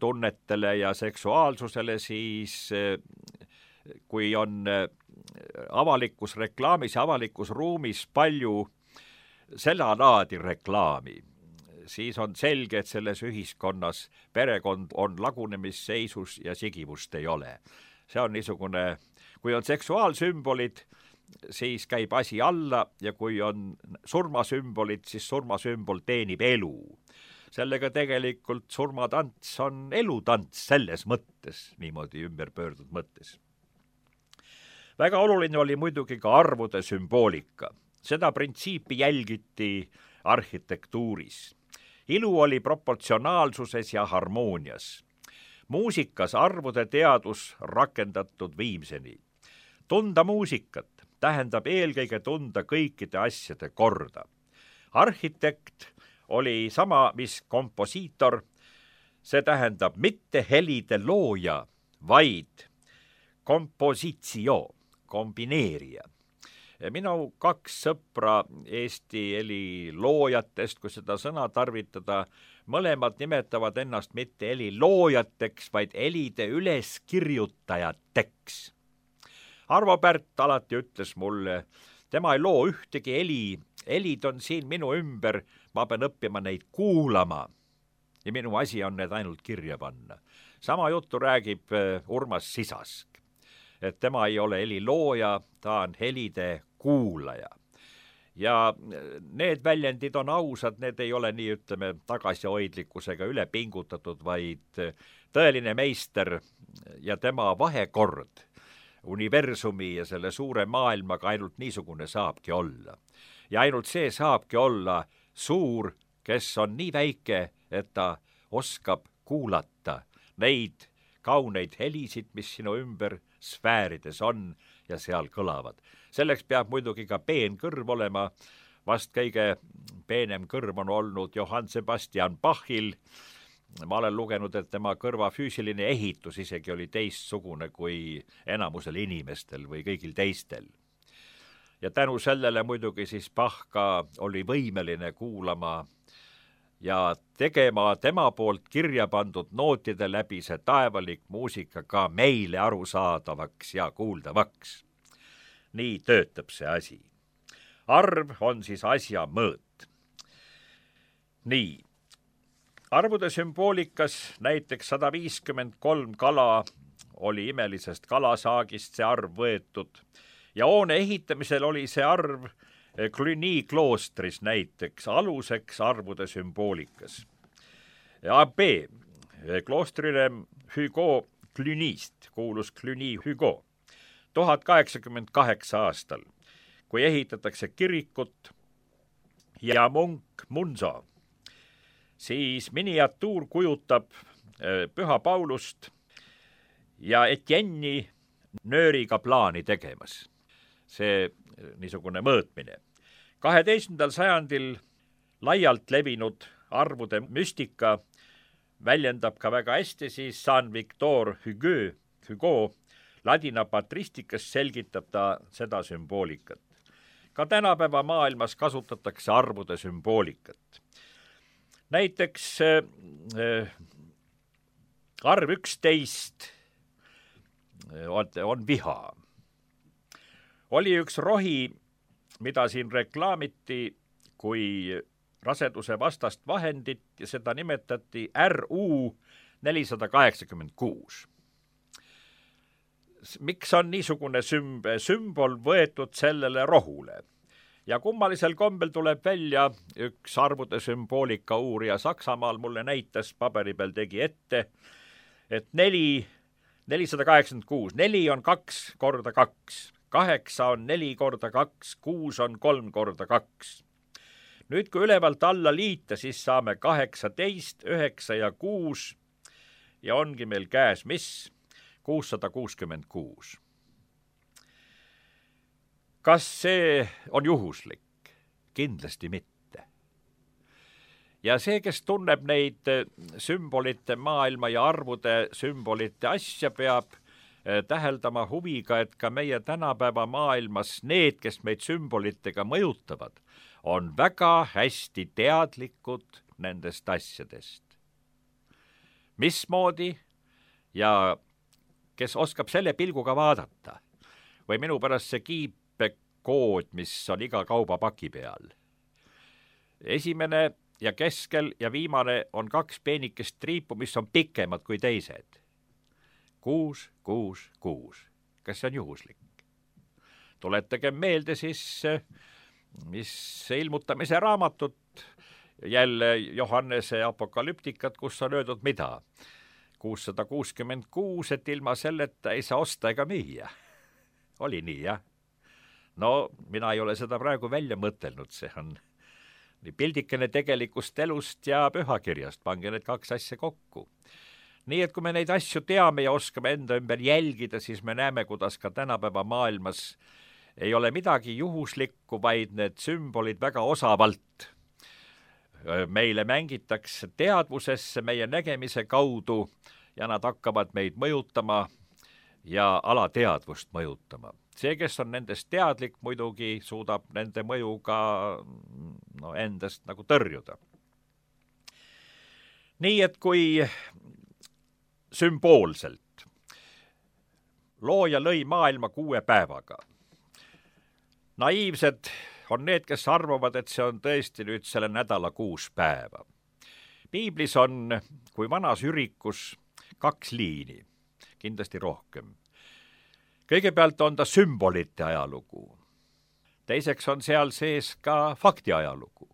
tunnetele ja seksuaalsusele, siis kui on avalikus reklaamis ja avalikus ruumis palju seda laadi reklaami, siis on selge, et selles ühiskonnas perekond on lagunemisseisus ja sigivust ei ole. See on niisugune, kui on seksuaalsümbolid, siis käib asi alla ja kui on surmasümbolid, siis surmasümbol teenib elu. Sellega tegelikult surmatants on elutants selles mõttes, niimoodi ümberpöördud mõttes. Väga oluline oli muidugi ka arvude sümboolika. Seda printsiipi jälgiti arhitektuuris. Ilu oli proportsionaalsuses ja harmoonias. Muusikas arvude teadus rakendatud viimseni. Tunda muusikat tähendab eelkõige tunda kõikide asjade korda. Arhitekt oli sama, mis komposiitor, see tähendab mitte helide looja, vaid kompositio, kombineerija. Minu kaks sõpra Eesti heli loojatest, kui seda sõna tarvitada, mõlemad nimetavad ennast mitte heli loojateks, vaid helide üleskirjutajateks. Arvo Pärt alati ütles mulle, tema ei loo ühtegi heli, helid on siin minu ümber, ma pean õppima neid kuulama ja minu asi on need ainult kirja panna. Sama juttu räägib Urmas Sisask, et tema ei ole heli looja, ta on helide kuulaja. Ja need väljendid on ausad, need ei ole nii, ütleme, tagasihoidlikkusega üle pingutatud, vaid tõeline meister ja tema vahekord universumi ja selle suure maailmaga ainult niisugune saabki olla. Ja ainult see saabki olla suur, kes on nii väike, et ta oskab kuulata neid kauneid helisid, mis sinu ümber sfäärides on ja seal kõlavad. Selleks peab muidugi ka peen kõrv olema. Vast kõige peenem kõrv on olnud Johann Sebastian Bachil. Ma olen lugenud, et tema kõrva füüsiline ehitus isegi oli teistsugune kui enamusel inimestel või kõigil teistel. Ja tänu sellele muidugi siis Bach ka oli võimeline kuulama ja tegema tema poolt kirja pandud nootide läbi see taevalik muusika ka meile arusaadavaks ja kuuldavaks. Nii töötab see asi. Arv on siis asja mõõt. Nii. Arvude sümboolikas näiteks sada viiskümmend kolm kala oli imelisest kalasaagist see arv võetud ja hoone ehitamisel oli see arv Cluny kloostris näiteks aluseks arvude sümboolikas. A B kloostrile Hugo Clunyst kuulus Cluny Hugo tuhat kaheksakümmend kaheksa aastal, kui ehitatakse kirikut ja munk Munzo, siis miniatuur kujutab Püha Paulust ja Etienne'i nööriga plaani tegemas. See niisugune mõõtmine. kaheteistkümnendal sajandil laialt levinud arvude müstika väljendab ka väga hästi siis Saint Victor Hugo, Hugo ladina patristikas selgitab ta seda sümboolikat. Ka tänapäeva maailmas kasutatakse arvude sümboolikat. Näiteks äh, arv üksteist on, on viha. Oli üks rohi, mida siin reklaamiti kui raseduse vastast vahendit ja seda nimetati R U nelisada kaheksakümmend kuus. miks on niisugune sümb- sümbol võetud sellele rohule? Ja kummalisel kombel tuleb välja üks arvude sümboolika uurija Saksamaal mulle näitas, paberi peal tegi ette, et neli, nelisada kaheksakümmend kuus, neli on kaks korda kaks, kaheksa on neli korda kaks, kuus on kolm korda kaks. Nüüd, kui ülevalt alla liita, siis saame kaheksateist, üheksa ja kuus ja ongi meil käes mis? kuussada kuuskümmend kuus. Kas see on juhuslik? Kindlasti mitte. Ja see, kes tunneb neid sümbolite maailma ja arvude sümbolite asja, peab täheldama huviga, et ka meie tänapäeva maailmas need, kes meid sümbolitega mõjutavad, on väga hästi teadlikud nendest asjadest. Mismoodi ja kes oskab selle pilguga vaadata või minu pärast see kiip kood, mis on iga kaubapaki peal. Esimene ja keskel ja viimane on kaks peenikest triipu, mis on pikemad kui teised. Kuus, kuus, kuus. Kas see on juhuslik? Tuletage meelde siis, mis ilmutamise raamatut, jälle Johannese apokalüptikat, kus on öeldud mida? kuussada kuuskümmend kuus, et ilma selleta ei saa osta ega müüa. Oli nii, jah? No, mina ei ole seda praegu välja mõtelnud, see on nii pildikene tegelikust elust ja pühakirjast, pange need kaks asja kokku. Nii, et kui me neid asju teame ja oskame enda ümber jälgida, siis me näeme, kuidas ka tänapäeva maailmas ei ole midagi juhuslikku, vaid need sümbolid väga osavalt meile mängitakse teadvusesse meie nägemise kaudu ja nad hakkavad meid mõjutama ja alateadvust mõjutama. See, kes on nendest teadlik, muidugi suudab nende mõjuga no, endast nagu tõrjuda. Nii, et kui sümboolselt looja lõi maailma kuue päevaga, naiivsed on need, kes arvavad, et see on tõesti nüüd selle nädala kuus päeva. Piiblis on, kui vanas ürikus, kaks liini, kindlasti rohkem. Kõigepealt on ta sümbolite ajalugu. Teiseks on seal sees ka fakti ajalugu.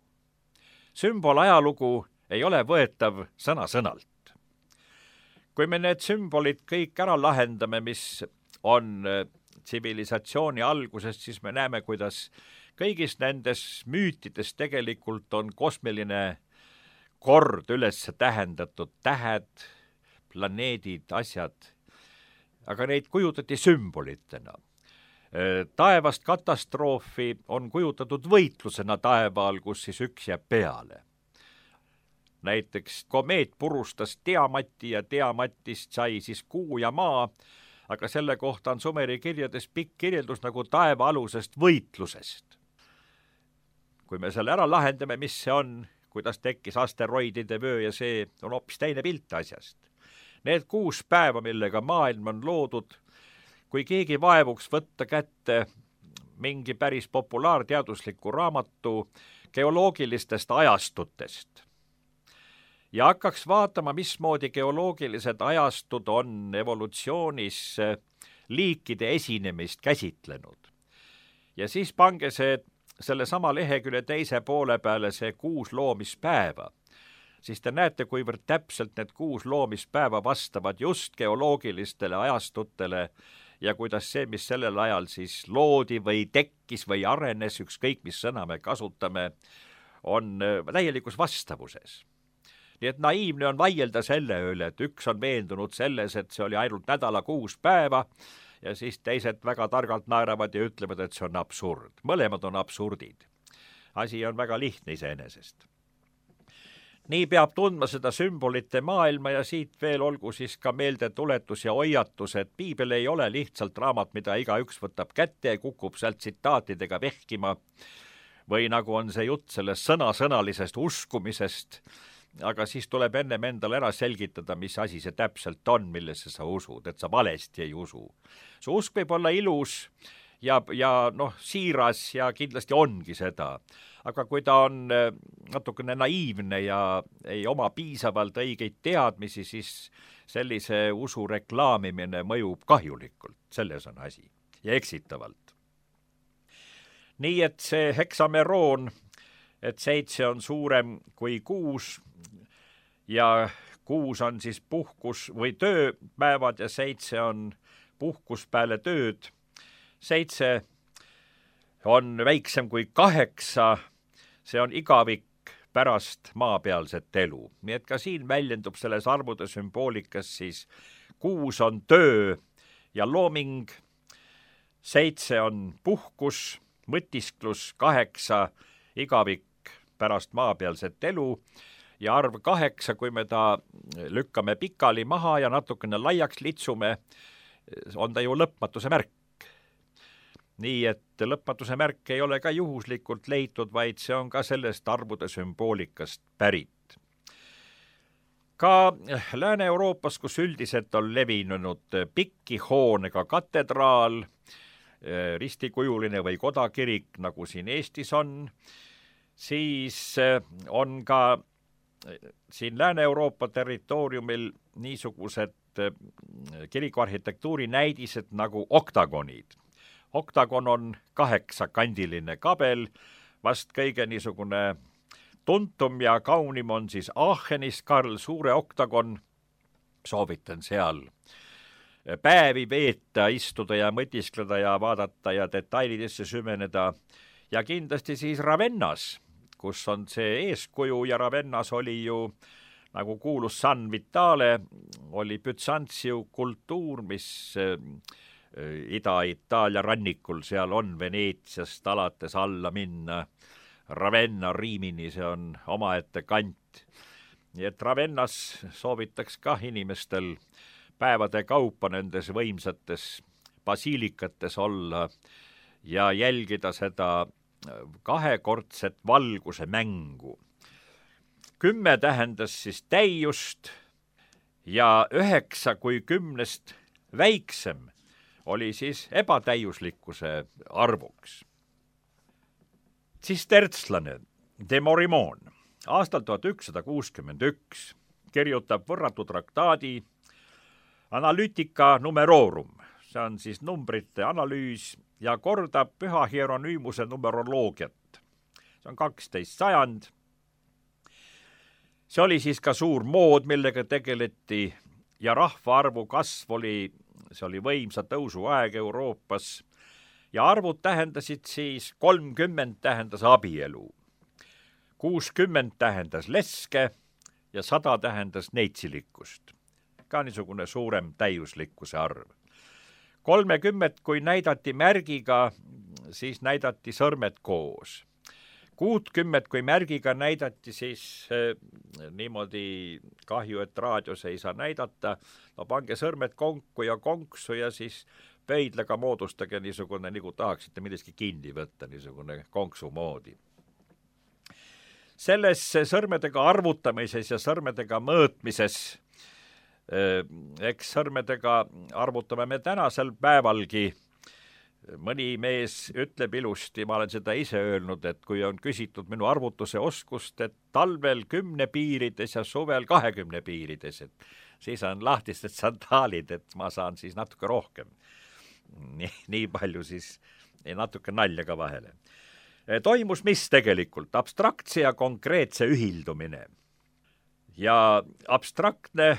Sümbol ajalugu ei ole võetav sõna-sõnalt. Kui me need sümbolid kõik ära lahendame, mis on tsivilisatsiooni algusest, siis me näeme, kuidas kõigis nendes müütides tegelikult on kosmiline kord üles tähendatud tähed, planeedid, asjad, aga neid kujutati sümbolitena. Taevast katastroofi on kujutatud võitlusena taevaal, kus siis üks jääb peale. Näiteks komeet purustas Tiamati ja Tiamatist sai siis kuu ja maa, aga selle kohta on Sumeri kirjades pikk kirjeldus nagu taeva alusest võitlusest. Kui me selle ära lahendame, mis see on, kuidas tekkis asteroidide vöö ja see on hoopis teine pilt asjast. Need kuus päeva, millega maailm on loodud, kui keegi vaevuks võtta kätte mingi päris populaarteadusliku raamatu geoloogilistest ajastutest ja hakkaks vaatama, mismoodi geoloogilised ajastud on evolutsioonis liikide esinemist käsitlenud. Ja siis pange see selle sama lehekülje teise poole peale see kuus loomispäeva, siis te näete, kuivõrd täpselt need kuus loomispäeva vastavad just geoloogilistele ajastutele ja kuidas see, mis sellel ajal siis loodi või tekkis või arenes, ükskõik mis sõna me kasutame, on täielikus vastavuses. Nii et naiivne on vaielda selle üle, et üks on veendunud selles, et see oli ainult nädala kuus päeva ja siis teised väga targalt naeravad ja ütlevad, et see on absurd. Mõlemad on absurdid. Asi on väga lihtne iseenesest. Nii peab tundma seda sümbolite maailma ja siit veel olgu siis ka meeldetuletus ja hoiatus, et piibel ei ole lihtsalt raamat, mida igaüks võtab kätte ja kukub sealt tsitaatidega vehkima või nagu on see jutt sellest sõna-sõnalisest uskumisest, aga siis tuleb ennem endale ära selgitada, mis asi see täpselt on, millesse sa usud, et sa valesti ei usu. Su usk võib olla ilus ja, ja noh, siiras ja kindlasti ongi seda. Aga kui ta on natukene naiivne ja ei oma piisavalt õigeid teadmisi, siis sellise usu reklaamimine mõjub kahjulikult, selles on asi, ja eksitavalt. Nii et see heksameroon, et seitse on suurem kui kuus ja kuus on siis puhkus või tööpäevad ja seitse on puhkus peale tööd. Seitse on väiksem kui kaheksa, see on igavik pärast maapealset elu. Nii et ka siin väljendub selles arvude sümboolikas siis kuus on töö ja looming, seitse on puhkus, mõtisklus, kaheksa igavik pärast maapealset elu ja arv kaheksa, kui me ta lükkame pikali maha ja natukene laiaks litsume, on ta ju lõpmatuse märk. Nii et lõpmatuse märk ei ole ka juhuslikult leitud, vaid see on ka sellest arvude sümboolikast pärit. Ka Lääne-Euroopas, kus üldiselt on levinud pikki hoonega katedraal, ristikujuline või kodakirik, nagu siin Eestis on, siis on ka siin Lääne-Euroopa territooriumil niisugused kirikuarhitektuuri näidised nagu oktagonid. Oktagon on kaheksakandiline kabel, vast kõige niisugune tuntum ja kaunim on siis Aachenis Karl Suure oktagon. Soovitan seal päevi veeta, istuda ja mõtiskleda ja vaadata ja detailidesse süveneda. Ja kindlasti siis Ravennas, kus on see eeskuju ja Ravennas oli ju, nagu kuulus San Vitale, oli Byzantium kultuur, mis Ida-Itaalia rannikul seal on Veneetsiast alates alla minna Ravenna Riimini, see on omaette kant. Nii et Ravennas soovitaks ka inimestel päevade kaupa nendes võimsates basiilikates olla ja jälgida seda kahekordset valguse mängu. Kümme tähendas siis täiust ja üheksa kui kümnest väiksem oli siis ebatäiuslikkuse arvuks. Tsistertslane de Morimon aastal tuhat ükssada kuuskümmend üks kirjutab võrratu traktaadi Analytica numerorum, see on siis numbrite analüüs ja kordab Püha Hieronymuse numeroloogiat. See on kaksteist sajand. See oli siis ka suur mood, millega tegeleti ja rahvaarvu kasv oli, see oli võimsa tõusu aeg Euroopas ja arvud tähendasid siis kolmkümmend tähendas abielu, kuuskümmend tähendas leske ja sada tähendas neitsilikkust. Ka niisugune suurem täiuslikkuse arv. kolmekümmet, kui näidati märgiga, siis näidati sõrmed koos. kuutkümmet, kui märgiga näidati, siis eh, niimoodi kahju, et raadios ei saa näidata. No pange sõrmed konku ja konksu ja siis pöidlega moodustage niisugune, nagu tahaksite millestki kinni võtta, niisugune konksu moodi. Selles sõrmedega arvutamises ja sõrmedega mõõtmises, eks sõrmedega arvutame me tänasel päevalgi. Mõni mees ütleb ilusti, ma olen seda ise öelnud, et kui on küsitud minu arvutuse oskust, et talvel kümne piirides ja suvel kahekümne piirides, et siis on lahtised sandaalid, et ma saan siis natuke rohkem. Nii, nii palju siis natuke nalja ka vahele. Toimus mis tegelikult? Abstraktse ja konkreetse ühildumine. Ja abstraktne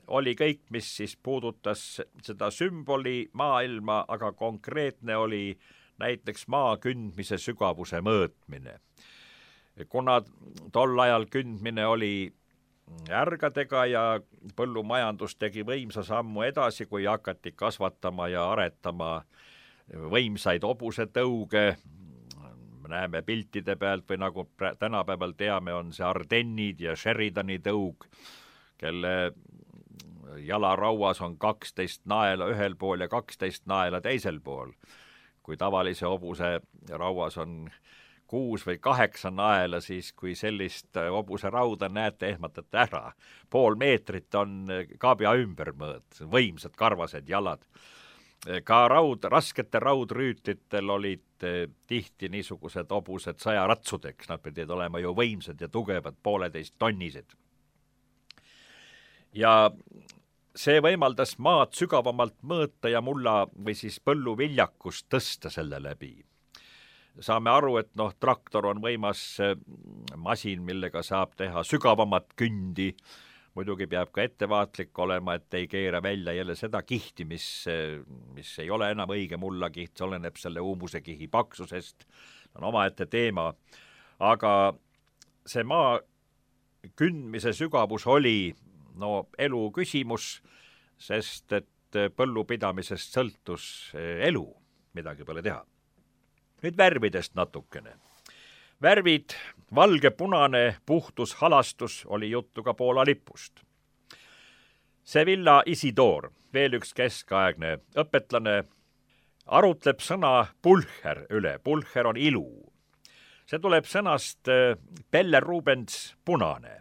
oli kõik, mis siis puudutas seda sümboli maailma, aga konkreetne oli näiteks maa kündmise sügavuse mõõtmine. Kuna tol ajal kündmine oli ärgadega ja põllumajandus tegi võimsa sammu edasi, kui hakati kasvatama ja aretama võimsaid hobusetõuge, näeme piltide pealt või nagu tänapäeval teame, on see Ardennid ja Sheridani tõug, kelle jalarauas on kaksteist naela ühel pool ja kaksteist naela teisel pool. Kui tavalise hobuse rauas on kuus või kaheksa naela, siis kui sellist hobuse rauda näete, ehmatate ära. Pool meetrit on kaabia ümbermõõt, võimsad karvased jalad. ka raud, raskete raudrüütlitel olid tihti niisugused hobused sajaratsudeks, nad pidid olema ju võimsad ja tugevad, pooleteist tonnised. Ja see võimaldas maad sügavamalt mõõta ja mulla või siis põlluviljakust tõsta selle läbi. Saame aru, et noh, traktor on võimas masin, millega saab teha sügavamat kündi. Muidugi peab ka ettevaatlik olema, et ei keera välja jälle seda kihti, mis, mis ei ole enam õige mullakiht, see oleneb selle uumusekihi paksusest, on omaette teema. Aga see maa kündmise sügavus oli no, elu küsimus, sest et põllupidamisest sõltus elu, midagi pole teha. Nüüd värvidest natukene. Värvid, valge, punane, puhtus, halastus oli juttu ka Poola lipust. Sevilla Isidor, veel üks keskaegne õpetlane, arutleb sõna pulcher üle. Pulcher on ilu. See tuleb sõnast Pelle Rubens punane.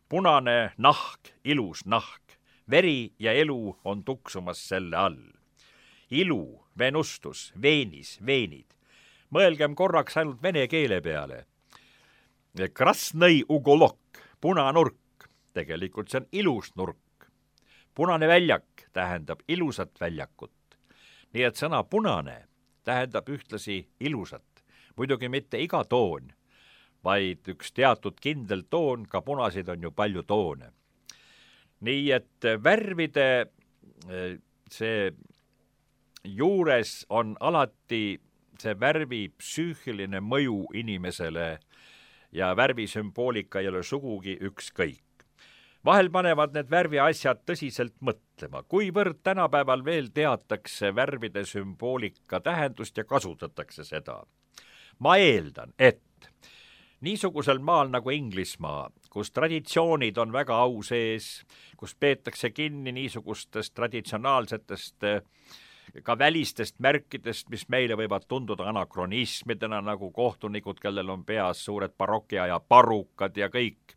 Punane nahk, ilus nahk. Veri ja elu on tuksumas selle all. Ilu, venustus, veenis, veenid. Mõelgem korraks ainult vene keele peale. Krasnõi ugolok, punanurk, tegelikult see on ilus nurk. Punane väljak tähendab ilusat väljakut. Nii et sõna punane tähendab ühtlasi ilusat. Muidugi mitte iga toon, vaid üks teatud kindel toon, ka punasid on ju palju toone. Nii et värvide see juures on alati see värvi psüühiline mõju inimesele ja värvisümboolika ei ole sugugi ükskõik. Vahel panevad need värvi asjad tõsiselt mõtlema, kuivõrd tänapäeval veel teatakse värvide sümboolika tähendust ja kasutatakse seda. Ma eeldan, et niisugusel maal nagu Inglismaa, kus traditsioonid on väga au sees, kus peetakse kinni niisugustest traditsionaalsetest ka välistest märkidest, mis meile võivad tunduda anakronismidena, nagu kohtunikud, kellel on peas suured barokiaja parukad ja kõik.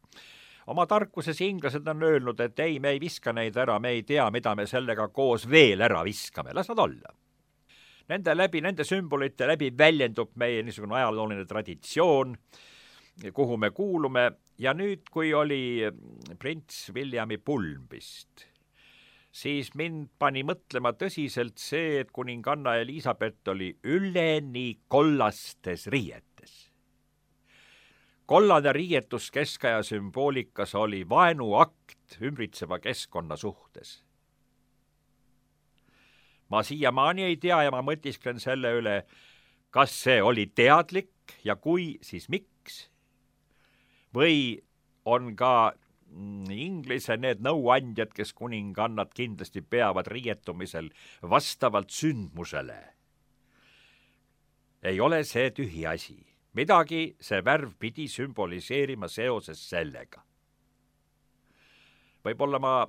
Oma tarkuses inglased on öelnud, et ei, me ei viska neid ära, me ei tea, mida me sellega koos veel ära viskame, las nad olla. Nende läbi, nende sümbolite läbi väljendub meie niisugune ajalooline traditsioon, kuhu me kuulume, ja nüüd, kui oli prints Williami pulmbist, siis mind pani mõtlema tõsiselt see, et kuninganna Elisabeth oli üleni kollastes riietes. Kollane riietus keskaja sümboolikas oli vaenuakt ümbritseva keskkonna suhtes. Ma siiamaani ei tea ja ma mõtisklen selle üle, kas see oli teadlik ja kui, siis miks? Või on ka Inglise need nõuandjad, kes kuningannad kindlasti peavad riietumisel vastavalt sündmusele. Ei ole see tühi asi. Midagi see värv pidi sümboliseerima seoses sellega. Võib-olla ma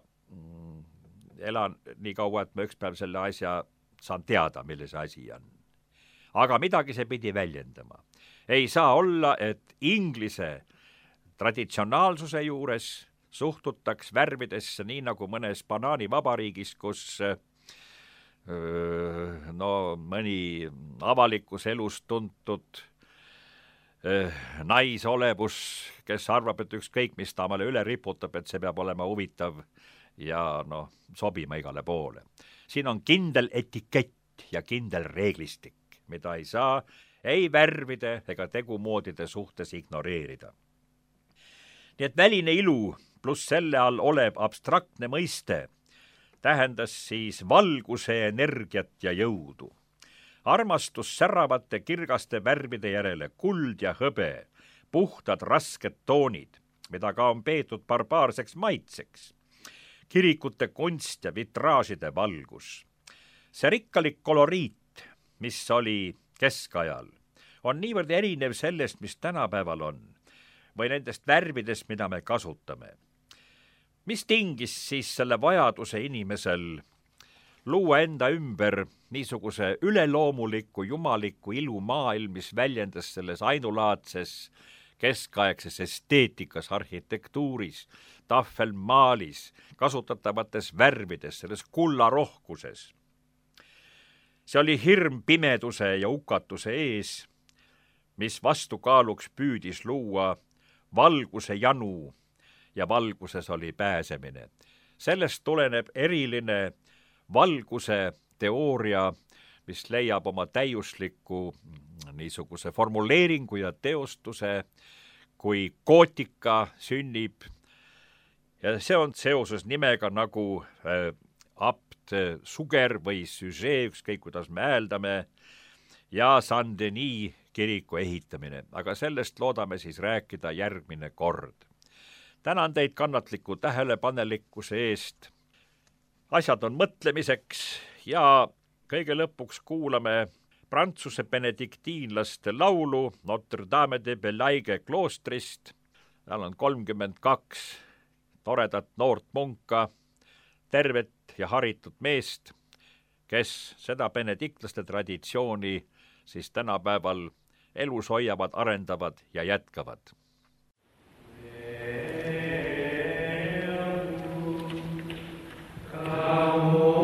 elan nii kaua, et ma üks päev selle asja saan teada, mille see asi on. Aga midagi see pidi väljendama. Ei saa olla, et Inglise traditsionaalsuse juures suhtutaks värvidesse nii nagu mõnes banaanivabariigis, kus öö, no, mõni avalikus elus tuntud öö, naisolevus, kes arvab, et ükskõik, mis ta omale üle riputab, et see peab olema huvitav ja no, sobima igale poole. Siin on kindel etikett ja kindel reeglistik, mida ei saa ei värvide ega tegumoodide suhtes ignoreerida. Nii et väline ilu pluss selle all olev abstraktne mõiste tähendas siis valguse energiat ja jõudu. Armastus säravate kirgaste värvide järele, kuld ja hõbe, puhtad rasked toonid, mida ka on peetud barbaarseks maitseks, kirikute kunst ja vitraažide valgus. See rikkalik koloriit, mis oli keskajal, on niivõrd erinev sellest, mis tänapäeval on, või nendest värvidest, mida me kasutame. Mis tingis siis selle vajaduse inimesel luua enda ümber niisuguse üleloomuliku, jumaliku ilumaailm, mis väljendas selles ainulaadses keskaegses esteetikas, arhitektuuris, tahvelmaalis, kasutatavates värvides, selles kullarohkuses. see oli hirm pimeduse ja hukatuse ees, mis vastukaaluks püüdis luua valguse janu ja valguses oli pääsemine. Sellest tuleneb eriline valguse teooria, mis leiab oma täiusliku niisuguse formuleeringu ja teostuse, kui gootika sünnib. Ja see on seoses nimega nagu äh, abt Suger või Süžee, ükskõik kuidas me hääldame, ja Saint-Denis kiriku ehitamine. Aga sellest loodame siis rääkida järgmine kord. Tänan teid kannatliku tähelepanelikkuse eest. Asjad on mõtlemiseks ja kõige lõpuks kuulame Prantsuse benediktiinlaste laulu Notre Dame de Belaige kloostrist. Seal on kolmkümmend kaks toredat noort munka, tervet ja haritud meest, kes seda benediktlaste traditsiooni siis tänapäeval elus hoiavad, arendavad ja jätkavad. Oh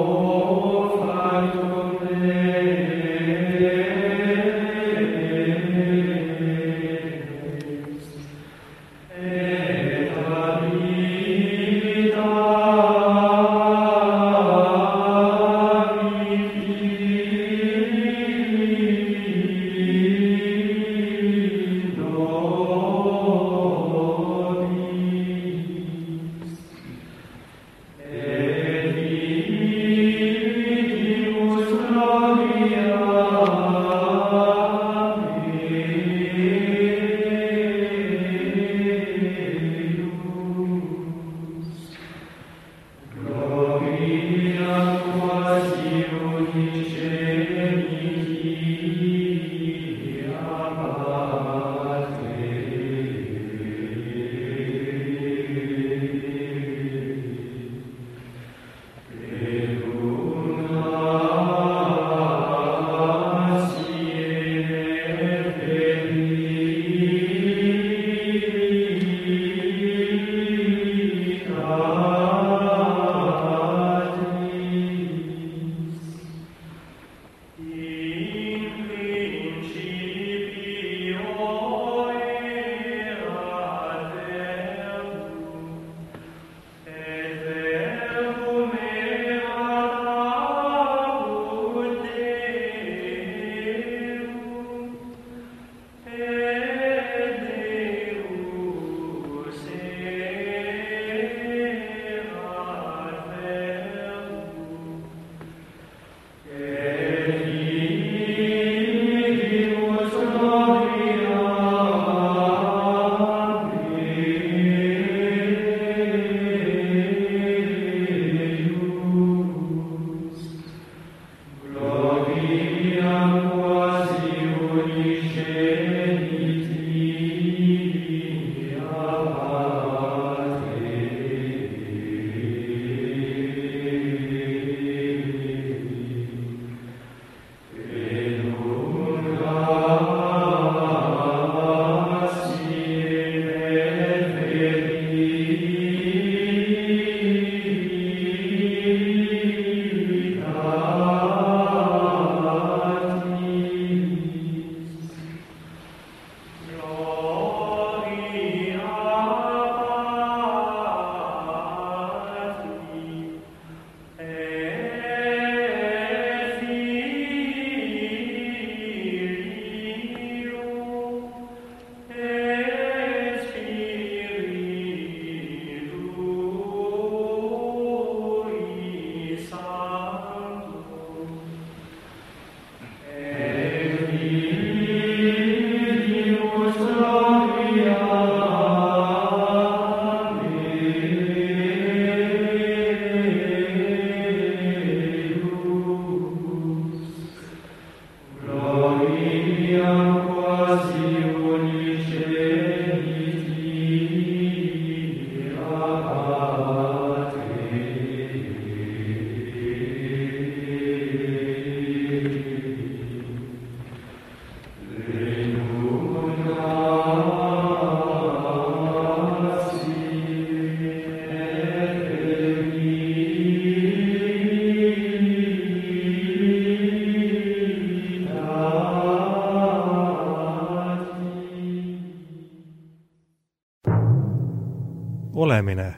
olemine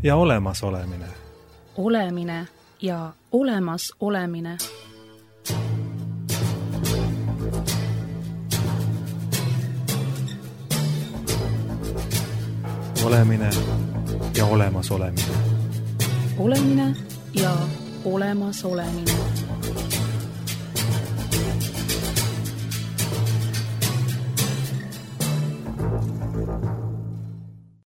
ja olemasolemine. Olemine ja olemas olemine. Olemine ja olemasolemine. Olemine ja olemas olemine.